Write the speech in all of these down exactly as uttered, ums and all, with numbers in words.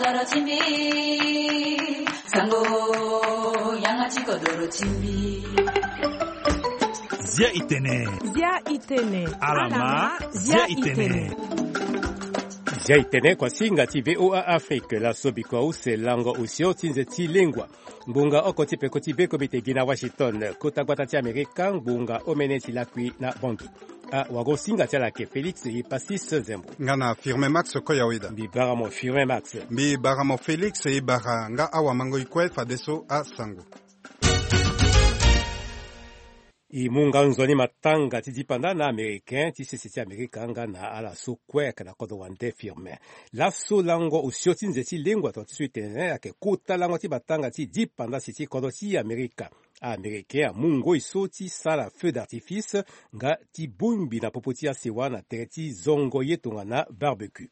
Kodoro ti mbi, sango, yanga ti kodoro ti mbi. Zia itene. Zia itene. Alama, zia itene. Zia itene kuasinga ti V O A Afrique, laso bikua use lango osio ti nze ti lengua. Ngbonga oko ti peko ti be komite gi na Washington, kota gbata ti Amerika, ngbonga omene ti lakui na Bangui. Awagosinga ti ala ayeke Félix Epasis Zembo. Nga na Firmin Max Koyaweda. Mbi bara mo Firmin Max. Mbi bara mo Félix Ebara. Nga awamango e kue fadeso asango. E mu nga nzoni matanga ti dipanda na Américain ti sese ti Amerika nga na ala so kue ayeke na kodro wande Firmin. Laso lango osio ti nze ti lengua tongana ti so e tene ayeke kota lango ti matanga ti dipanda si ti kodro ti Amerika. Américain amu ngoi so ti sara feu d'artifice nga ti bongbi na popo ti asewa na tere ti zongo ye tongana barbecue.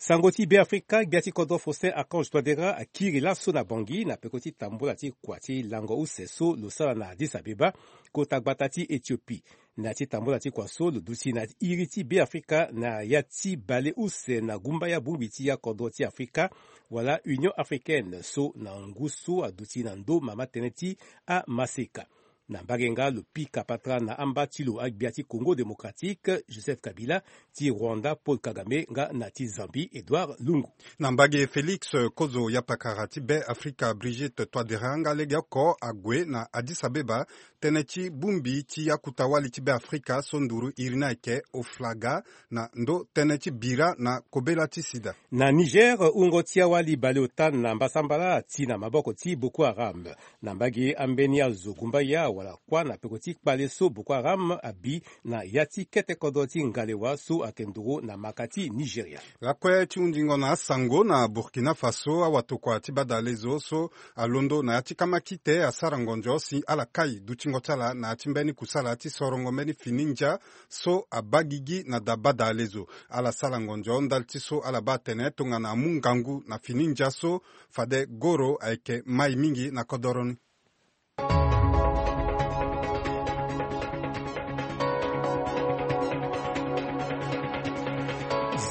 Sango ti Beafrika, gbia ti kodro Faustin Archange Touadéra akiri laso na Bangui na peko ti tambula ti kua ti lango use so lo sara na Addis Abeba, kota gbata ti Éthiopie. Na ya ti tambula ti kua so lo duti na iri ti Beafrika na ya ti bale use na gumbaya bongbi ti akodro ti Afrika, wala Union Africaine so na ngu so aduti na ndo mama tënë ti amaseka. Na mbage nga lo pika patara na amba ti lo agbia ti Congo Démocratique, Joseph Kabila, ti Rwanda, Paul Kagame, nga na ti Zambie, Edouard Lungu. Na mbage Félix Kozo, yapakara ti Beafrika Brigitte Touadéra nga legeoko ague na Addis Abeba, tënë ti bongbi ti akuta wali ti Beafrika so nduru iri ni ayeke Oflaga, na ndo tënë ti bira na kobela ti sida. Na Niger, wungo ti awali baleota na mbasambala ati na maboko ti Boko Haram. Na mbage ambeni azo gumbaya wala kuâ na peko ti kpale so Boko Haram abi na ya ti kete kodro ti Ngalewa so ayeke nduru na maka ti Nigeria. Lakue ti hundingo na asango na Burkina Faso, awatokua ti badalezo so alondo na ya ti kamakite asara ngonzo si ala kai dutingo ti ala na ya ti mbeni kusala ti sorongo mbeni fini ndia so abaa gigi na da badalezo. Ala sara ngonzo ndali ti so ala baa atene tongana amu ngangu na fini ndia so, fade goro ayeke mai mingi na kodoro ni.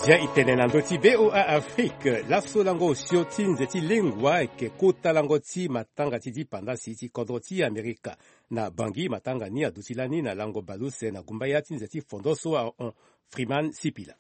Zia itene na ndö ti V O A Afrique, laso lango osio ti nze ti lengua ayeke kota lango ti matanga ti dipandasi ti kodro ti Amerika. Na Bangui, matanga ni aduti lani na lango baleuse na gumbaya ti nze ti fondo so ahon. Freeman Sipila.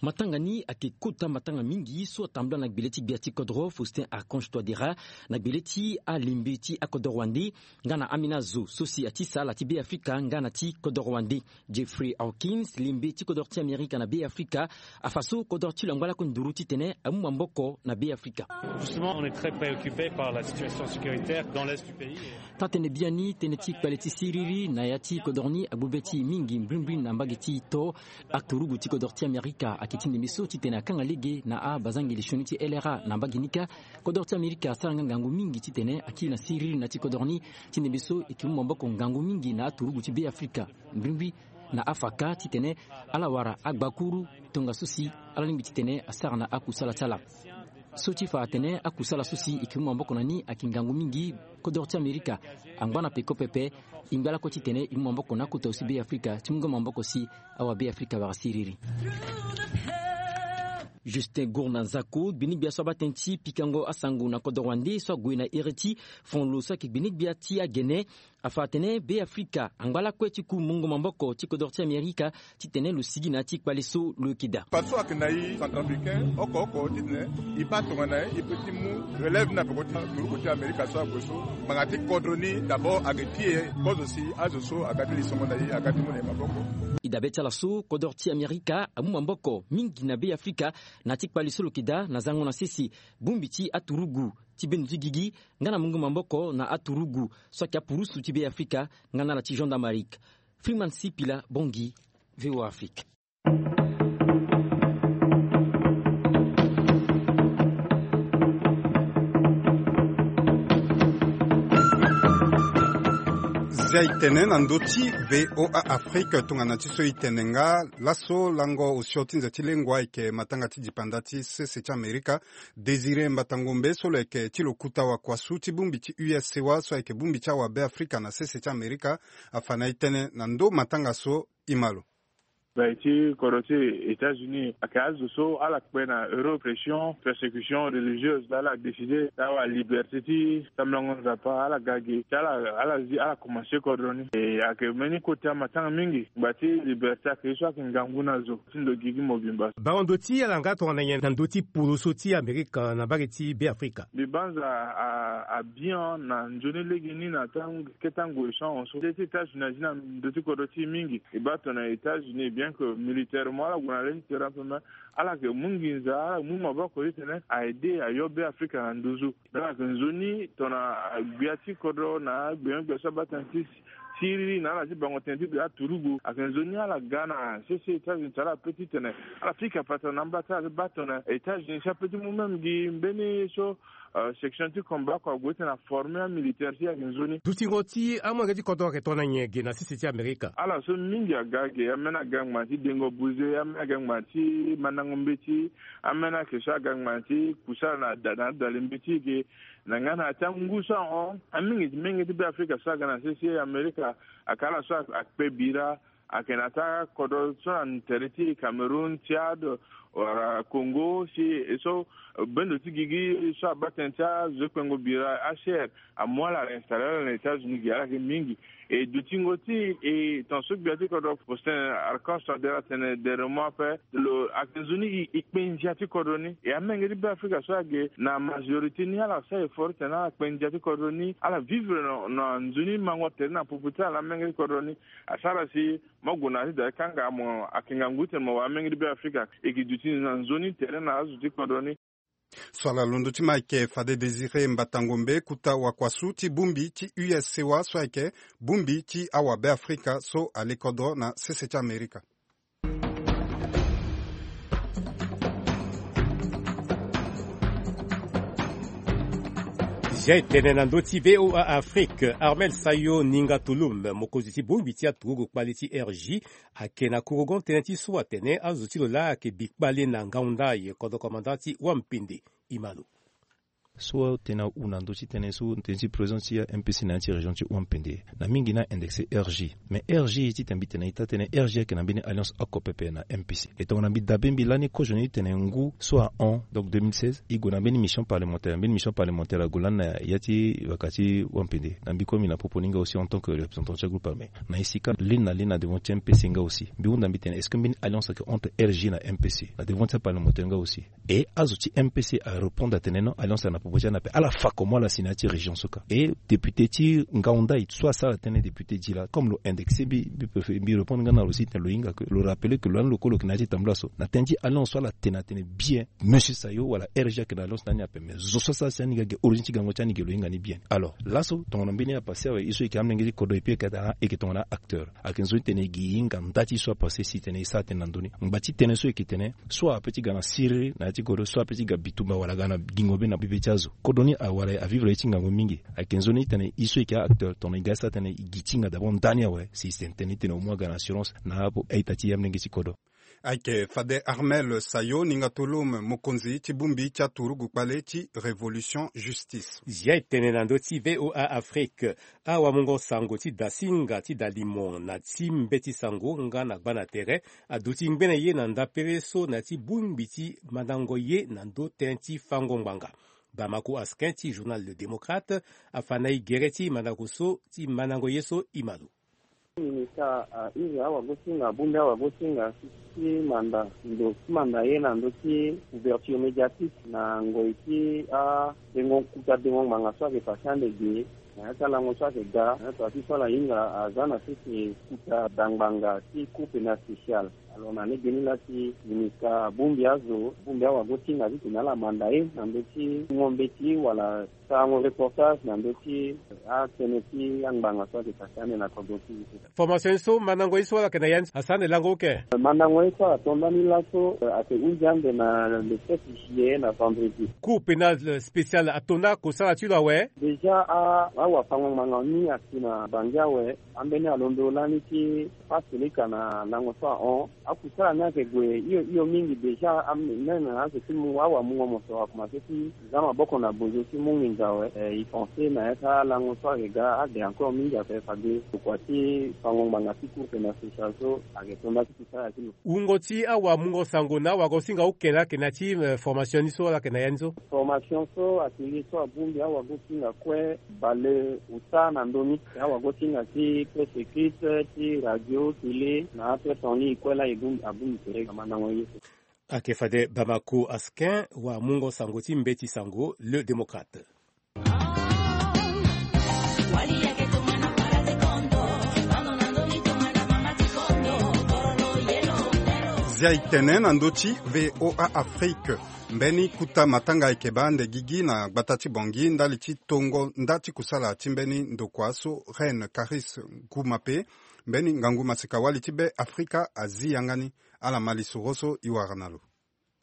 Matanga ni ayeke kota matanga mingi so atambula na gbele ti gbia ti kodro Faustin Archange Touadéra, na gbele ti alembe ti akodoro wande, nga na ambeni azo so si ati sara ala ti Beafrika nga na ti kodoro wande. Jeffrey Hawkins, lembe ti kodoro ti Amerika na Beafrika, afa so kodoro ti lo angba lakue nduru titene amu maboko na Beafrika. Justement, on est très préoccupé par la situation sécuritaire dans l'est du pays. Taa-tënë biani, tënë ti kpale ti siriri na ya ti kodoro ni agbu be ti e mingi mbrimbri na mbage ti to. Aturugu ti kodoro ti Amerika ayeke ti ndembe so titene akanga lege na abazangeli sioni ti L R A na mbage ni kâ. Kodoro ti Amerika asara nga ngangu mingi titene akiri na siriri na ya ti kodoro ni, ti ndembe so e yeke mu maboko ngangu mingi na aturugu ti Beafrika, mbrimbri na afa kâ titene ala wara agbakuru tongaso si ala lingbi titene asara na akusala ti ala. So ti fa atene akusala so si e yeke mu maboko na ni ayeke ngangu mingi. Kodoro ti Amerika angba na peko pepe. E ngba lakue titene e mu maboko na akota aussi Beafrika ti mu nga maboko si awa Beafrika wara siriri. Justin Gourna Nzako, gbinigbia so abaa tënë ti pikango asango na kodoro wande so ague na iri ti fon lo so ayeke gbinigbia ti agene, afa atene Beafrika angba lakue ti ku mungo maboko ti kodoro ti Amerika titene lo sigi na ya ti kpale so lo yeke daa. Partout ayeke na e Centrafricain oko oko titene e baa tongana e peut ti mu relève ni na peko ti turugu ti Amerika so ague so. Ngbanga ti kodro ni d'abord ayeke ti e kozo si azo so aga ti lisongo na e aga ti mu na e maboko. E dabe ti ala so kodro ti Amerika amu maboko mingi na Beafrika na ya ti kpale so lo yeke daa na zango na sese. Bongbi ti aturugu ti bendo ti gigi nga na mungo maboko na aturugu so ayeke apurusu ti Beafrika nga na ala ti gendarmerie. Freeman Sipila Bangui, V O A Afrique. Zia e tene na ndö ti V O A Afrique tongana ti so e tene nga laso lango osio ti nze ti lengua ayeke matanga ti dipanda ti sese ti Amerika. Désiré Mbatangombe so lo yeke ti lo kuta wakuasu ti bongbi ti U S C wa so ayeke bongbi ti awabe Afrika na sese ti Amerika afa na e tënë na ndö matanga so e ma lo. Gbai ti kodro ti États-Unis ayeke azo so ala kpe na euro pression persécution religieuse, ala décide ti awa liberté ti tambulango nzapa ala ga ge ti ala ala zi ala komanse kodro ni. E ayeke mbeni kota matanga mingi. Gba ti liberté ayeke ye so ayeke ngangu na zo ti ndo gigi mobimba. Bango ndo ti ala nga tongana nyen na ndö ti polo so ti Amerika na mbage ti Beafrika? Mbi banza a- a- bien na nzoni lege ni na tango kete ngoi so ahon so nde ti États-Unis azi na ndö ti kodro ti e mingi. E baa tongana États-Unis bien que militairement ala gue na le ti terrain ape, mais ala yeke mu nginza, ala mu maboko titene a aide ayo Beafrika na nduzu. Donc ayeke nzoni tongana agbia ti kodro na agbenyogbia so abaa tënë ti siriri na ala ti bango tënë ti bia aturugu ayeke nzoni ala ga na sese États-Unis ti ala ape titene ala pika patara na amba ti ala ti baa tongana États-Unis si ape ti mu même gi mbeni so euh, section ti combat oko ague titene aforme amilitaire ti e ayeke nzoni. Dutingo ti amolenge ti kodro ayeke tongana nyen ge na sese ti Amerika? Ala so mingi aga ge, ambeni aga ngbanga ti dengo buze, ambeni aga ngbanga ti mandango mbeti, ambeni ayeke so aga ngbanga ti kusa na da- na adali mbeti ge. Na nga na ya ti angu so ahon, amingi ti menge ti Beafrika so aga na sese Amerika, ayeke ala so akpe bira, ayeke na ya ti akodro so na tere ti Cameroun, Tchad, wala Congo si e so bendo ti gigi so abaa tënë ti azo ti kpengo bira, H R, amu ala ala installe ala na États-Unis ge, ala yeke mingi. E dutingo ti e, tongaso gbia ti kodro Faustin Archange Touadéra atene dernièrement ape lo ayeke nzoni e e kpe ndia ti kodro ni. E amenge ti Beafrika so ayeke na majorité ni ala sara effort titene ala kpe ndia ti kodro ni, ala vivre na na nzoni mango tere na popo ti ala na amenge ti kodro ni. Asara si mo gue na ya ti da ti kanga mo ayeke ngangu titene mo wara amenge ti Beafrika e ke duti na nzoni tere na azo ti kodro ni. So ala londo ti ma ayeke fade Désiré Mbatangombe, kota wakuasu ti bongbi ti U S C O A so ayeke bongbi ti awabeafrika so ale kodro na sese ti Amerika. Zia etene na ndö ti V O A Afrique, Armel Sayo Ninga Tulum, mokonzi ti bongbi ti aturugu kpale ti R J, ayeke na kurugon tënë ti so atene azo ti lo laa ayeke bi kpale na ngaunda ye kodro komanda ti Wampende. Imalo. So tënë ahu na ndö ti tënë so tënë ti présence ti M P C na ya ti région ti Wampende na mingi ni a indexé R J. Mais R J titene mbi tene ita tënë R J ayeke na mbeni alliance oko pepe na M P C. E tongana mbi dabe mbi lani kozo ni titene ngu so ahon, donc deux mille seize, e gue na mbeni mission parlementaire, mbeni mission parlementaire ague lani na ya ti vaka ti Wampende. Na mbi kue mbi na popo ni nga aussi en tant que représentant ti agroupe armé. Na esika leni na leni na devant ti M P C nga aussi. Mbi hunda mbi tene est-ce que mbeni alliance ayeke entre R J na M P C na devant ti aparlementaire nga aussi. E azo ti M P C arépondre atene non, alliance na popo ti ala na pe ala fa comment ala si na ya ti région so ka. E député ti ngaunda e so asara tënë député ti la comme lo indexé mbi mbi préféré mbi répondre nga na lo si tene lo hinga ke lo rappelé ke lo lani lo kue lo yeke na ya ti tambula so na tënë ti alliance so ala tene atene bien monsieur Sayo wala R J ayeke na alliance na ni ape mais zo so asara si ani ga ge origine ti gango ti ani ge lo hinga ni bien. Alors laso tongana mbeni apassé awe e so e yeke amolenge ti kodro et puis e yeke tongana acteur. Ayeke nzoni titene e gi e hinga nda ti e so apassé si tene e sara tënë na ndö ni. Ngba ti tënë so e yeke tene so ape ti ga na siriri na ya ti kodro so ape ti ga bitumba wala aga na gingo be na bebe ti azo. Kodro ni awara avivre ye ti ngangu mingi. Ayeke nzoni titene e so e yeke acteur tongana e ga e sara tënë e gi ti hinga d'abord nda ni awe si tene tënë titene au moins aga na assurance na apo a-ita ti e amolenge ti kodro. Ayeke fade Armel Sayo Ninga Tulum, mokonzi ti bongbi ti aturugu kpale ti Révolution Justice. Zia etene na ndö ti V O A Afrique. Awamungo sango ti dasinga ti dalimon na ti mbeti sango nga na gba na tere aduti ngbene ye na ndapere so na ti bongbi ti mandango ye na ndö tënë ti fango ngbanga. Bamako askin ti journal Le Démocrate afa na e gere ti mandango so ti mandango ye so imalo. Ministre a iri awagosinga abongbi awagosinga ti manda ndo ti manda ye na ndö ti couverture médiatique na ngoi ti adengo kuta dengo ngbanga so ayeke pase ande ge na ya ti alango so ayeke ga na ya ti so ala hinga aza na sese kuta da ngbanga ti cour pénale spéciale. Alors na lege ni laa si ministre abongbi azo abongbi awagosinga titene ala manda ye na ndö ti ngo mbeti wala sarango reportage na ndö ti atënë ti angbanga so ayeke pase ande na kodro ti e. Formation ye so mandango ye so ala yeke na ya ni asara ande lango oke. Mandango ye so ato ndani laso ayeke hunzi ande na le sept juillet na vendredi. Cour pénale spéciale ato nda kosala ti lo awe. Déjà awafango ngbanga ni asi na bangi awe. Ambeni alondo lani ti passe leka na lango so ahon. Akusala ni ayeke gue hio hio mingi déjà. Même azo ti mu awamungo mo so akomanse ti za maboko na bozo ti mu nginza awe. Eh, e pense na ya ti alango so ayeke ga ade encore mingi ape fade kua ti fango ngbanga ti course na social so ayeke tonda ti kusala ti lo. Wungo ti awamungo sango na awagosinga oke laa ayeke na ya ti, eh, formation ni so ala yeke na ya ni so. Formation so atelier so abongbi awagosinga kue bale ota na ndö ni. Awagosinga ti presse écrite, ti radio, télé na presse en ligne kue laa e bongbi, abongbi tere ga mandango ye so. Ayeke fade Bamako Askin, wamungo sango ti mbeti sango Le Démocrate. Zia e tene na ndö ti V O A Afrique. Mbeni kuta matanga ayeke baa ande gigi na gbata ti Bangui ndali ti tongo nda ti kusala ti mbeni ndokua so Reine Caris Goumape, mbeni ngangu maseka wali ti Be Afrika, azi yanga ni. Ala ma lisoro so e wara na lo.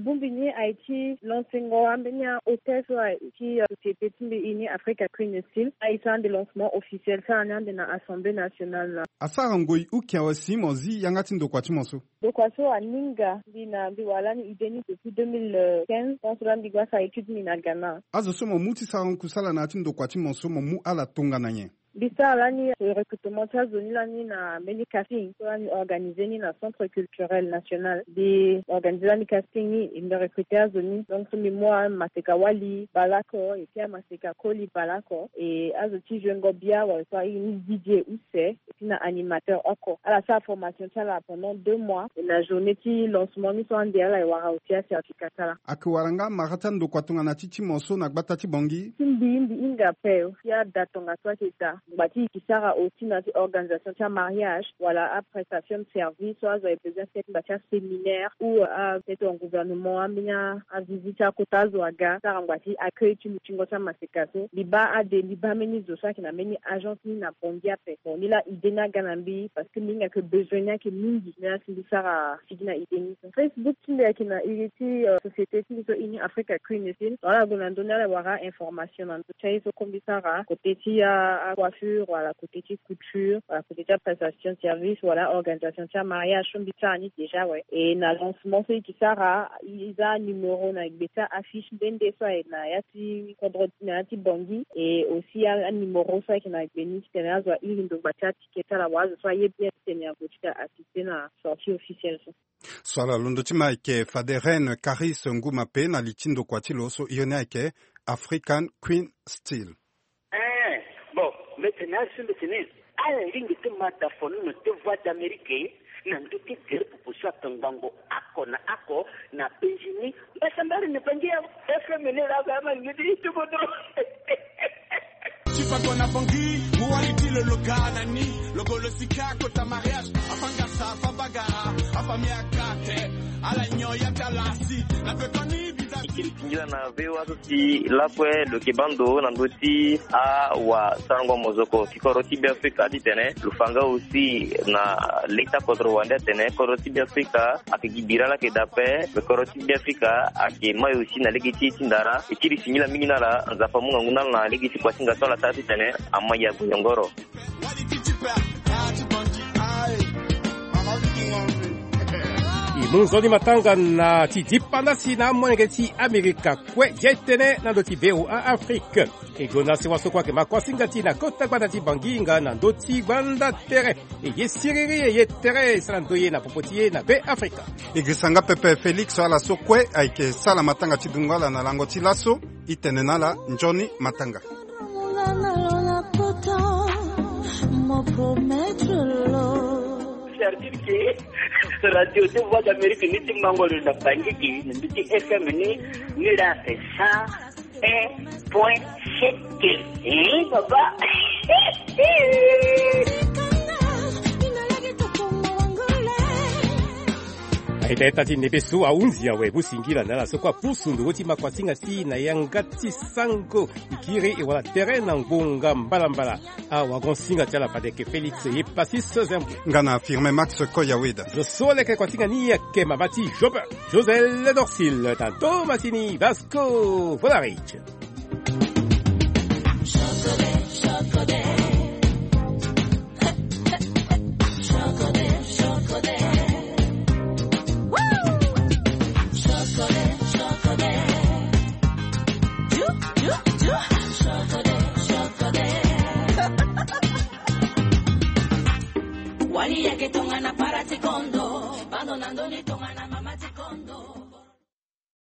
Bongbi ni aye ti lancengo ambeni ahôtel so aye ti, euh, société ti mbi e ni Africa Queen Steel. Aye so ande lancement officiel so ala ni ande na Assemblée nationale na. Asara ngoi uki awe si mo zi yanga ti ndokua ti mo so. Ndokua so aninga mbi na mbi wara lani idée ni depuis deux mille quinze. Tant so laa mbi gba sara étude ni na Ghana. Azo so mo mu ti sara kusala na ya ti ndokua ti mo so mo mu ala tongana nyen? Mbi sara lani recrutement ti azo ni lani na mbeni casting so lani organisé ni na Centre Culturel National. Mbi organisé lani casting ni, e mbi recruté azo ni. Donc so mbi mu amaseka wali baleoko, e puis amaseka koli baleoko, e azo ti Zouengo Bia wala so aye ni Didier Use, e puis na animateur oko. Ala sara formation ti ala pendant deux mois. E na journée ti lancement ni so ande ala e wara aussi acertificat ti ala. Ayeke wara nga mara ti andokua tongana ti ti mo so na gbata ti Bangui? Ti mbi, mbi hinga ape. Ti ada tongaso ayeke daa. Ngbanga ti e ke sara aussi na ti organisation ti amariage wala aprestation de service so azo aye besoin ti ngbanga ti aséminaire ou, euh, peut-être en gouvernement, ambeni avisite ti akota azo aga, sara ngbanga ti accueil ti lutingo ti amaseka so. Mbi baa ade, mbi baa mbeni zo so ayeke na mbeni agence ni na Bangui ape. Bon, ni laa idée ni aga na mbi parce que mbi hinga que besoin ni ayeke mingi. Ni laa si mbi sara sigi na idée ni so. Facebook ti mbi ayeke na iri ti, euh, société ti mbi so e ni Africa Queen Steel. Wala gue na ndö ni ala wara information na ndö ti aye so kue mbi sara côté ti a, a coiffure wala côté ti couture wala côté ti aprestation de service wala organisation ti amariage so mbi sara ni déjà awe. E na lancement so e ke sara, e za numéro na gbe ti affiche nde nde so aye na ya ti kodro na ya ti Bangui. E aussi a, anuméro so ayeke na gbe ni titene azo airi ndo ngbanga ti aticket ti ala wala azo so aye bien titene ague ti ga assister na sortie officielle so. So ala londo ti ma ayeke fade Reine Caris Ngoumape na li ti ndokua ti lo so iri ni ayeke African Queen Steel. Eh, bon, mbi tene asi mbi tene ala lingbi ti ma dafono na te Voix d'Amérique na ndö ti gere popo so atongbango oko na oko na penzi ni. Mbasambari ni Bangui ya F M ni laa ga ma ngidi ti kodro. Ti fa kona Bangui, mu wali ti lo lo ga na ni, lo go lo sika kota mariage, afa ngasa, afa bagara, afa miakate, ala nyon ya ti ala si, na pe koni biza. E kiri singila na V O A so si lakue lo yeke baa ndo na ndö ti awasarango mozoko ti kodro ti Beafrika titene lo fa nga aussi na lege ti akodro wande atene kodro ti Beafrika ayeke gi bira laa ayeke daa ape, me kodro ti Beafrika ayeke mai aussi na lege ti e ti ndara. E kiri singila mingi na ala, Nzapa amu ngangu na ala na lege ti kuasinga so ala sara titene ama ya goyongoro. E mu nzoni matanga na ti dipanda si na amolenge ti Amerika kue. Ye tene na ndö ti V O A Afrique. E gonda sewa so kue ayeke ma kuasinga ti e na kota gbanda ti Bangui nga na ndö ti gbanda tere. E ye siriri, e ye tere, e sara ndo ye na popo ti e na Beafrika. E girisa nga pepe Félix, ala so kue ayeke sala matanga ti dungo ala na lango ti laso. E tene na ala nzoni matanga. C'est-à-dire que radio de Voix d'Amérique ni ti mango lo na Bangui, na ndö ti F M ni, ni la c'est ça. Un point sept. Eh, papa. Aita ita ti nebe so ahunzi awe, mu singila na ala so kue apusu ndongo ti makuasinga ti na yanga ti sango. E kiri e wara tere na ngonga mbalambala. Awagonsinga ti ala fade yeke Félix ye pasi so zembo. Nga na Firmin Max Koyaweda. Zo so leke kuasinga ni ayeke mama ti Job. José Ledorcil, Tanto Massini, Vasco Volaric. Ndoni